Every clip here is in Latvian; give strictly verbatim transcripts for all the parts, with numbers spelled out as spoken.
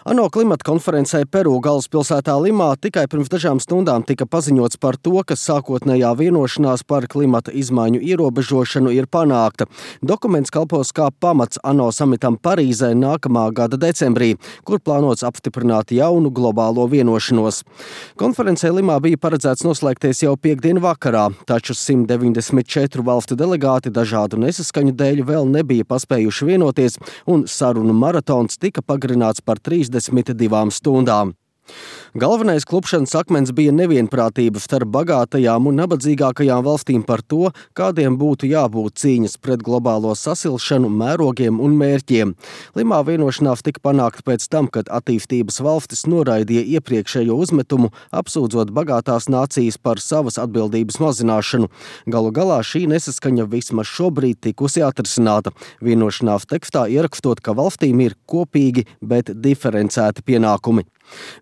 ANO klimata konferencē Peru galvaspilsētā Limā tikai pirms dažām stundām tika paziņots par to, ka sākotnējā vienošanās par klimata izmaiņu ierobežošanu ir panākta. Dokuments kalpos kā pamats ANO samitam Parīzē nākamā gada decembrī, kur plānots apstiprināt jaunu globālo vienošanos. Konferencē Limā bija paredzēts noslēgties jau piektdien vakarā, taču simt deviņdesmit četru valstu delegāti dažādu nesaskaņu dēļ vēl nebija paspējuši vienoties, un sarunu maratons tika pagarināts par trīsdesmit divām stundām. Galvenais klupšanas akmens bija nevienprātība starp bagātajām un nabadzīgākajām valstīm par to, kādiem būtu jābūt cīņas pret globālo sasilšanu, mērogiem un mērķiem. Limā vienošanās tika panākta pēc tam, kad attīstības valstis noraidīja iepriekšējo uzmetumu, apsūdzot bagātās nācijas par savas atbildības mazināšanu. Galu galā šī nesaskaņa vismaz šobrīd tikusi atrisināta. Vienošanās tekstā ierakstot, ka valstīm ir kopīgi, bet diferencēti pienākumi.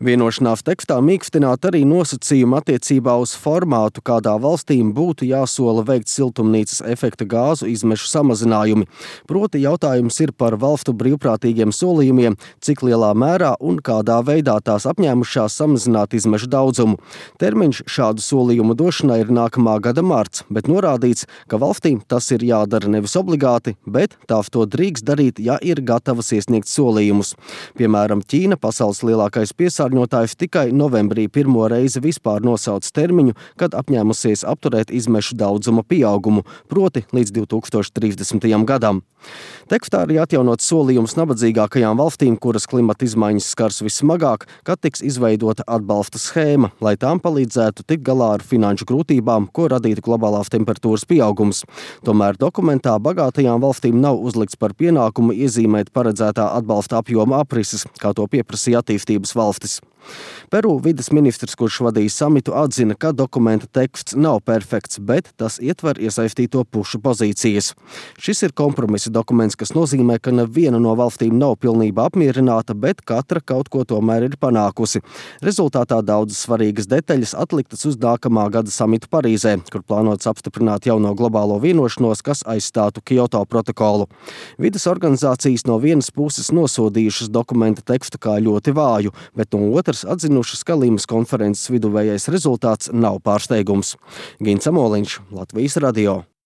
Vienošanās tekstā mīkstināt arī nosacījumi attiecībā uz formātu, kādā valstīm būtu jāsola veikt siltumnīcas efekta gāzu izmešu samazinājumi. Proti jautājums ir par valstu brīvprātīgiem solījumiem, cik lielā mērā un kādā veidā tās apņēmušās samazināt izmešu daudzumu. Termiņš šādu solījumu došanai ir nākamā gada marts, bet norādīts, ka valstīm tas ir jādara nevis obligāti, bet tās to drīkst darīt, ja ir gatavas iesniegt solījumus. Piemēram, Ķīna, pasaules lielākais piesārņotājs, tikai novembrī pirmo reizi vispār nosauc termiņu, kad apņēmusies apturēt izmešu daudzuma pieaugumu, proti līdz divi tūkstoši trīsdesmitajam gadam. Tekstā arī atjaunots solījums nabadzīgākajām valstīm, kuras klimata izmaiņas skars vissmagāk, kad tiks izveidota atbalsta schēma, lai tām palīdzētu tikt galā ar finanšu grūtībām, ko radītu globālās temperatūras pieaugums. Tomēr dokumentā bagātajām valstīm nav uzlikts par pienākumu iezīmēt paredzētā atbalsta apjoma aprises, kā to pieprasīja attīstības valstis. Peru vides ministrs, kurš vadīja samitu, atzina, ka dokumenta teksts nav perfekts, bet tas ietver iesaistīto pušu pozīcijas. Šis ir kompromisa dokuments, kas nozīmē, ka neviena no valstīm nav pilnībā apmierināta, bet katra kaut ko tomēr ir panākusi. Rezultātā daudzas svarīgas detaļas atliktas uz nākamā gada samitu Parīzē, kur plānots apstiprināt jauno globālo vienošanos, kas aizstātu Kyoto protokolu. Vides organizācijas no vienas puses nosodījušas dokumenta tekstu kā ļoti vāju, bet no otras atzinušas, ka Limas konferences viduvējais rezultāts nav pārsteigums. Gins Amoliņš, Latvijas radio.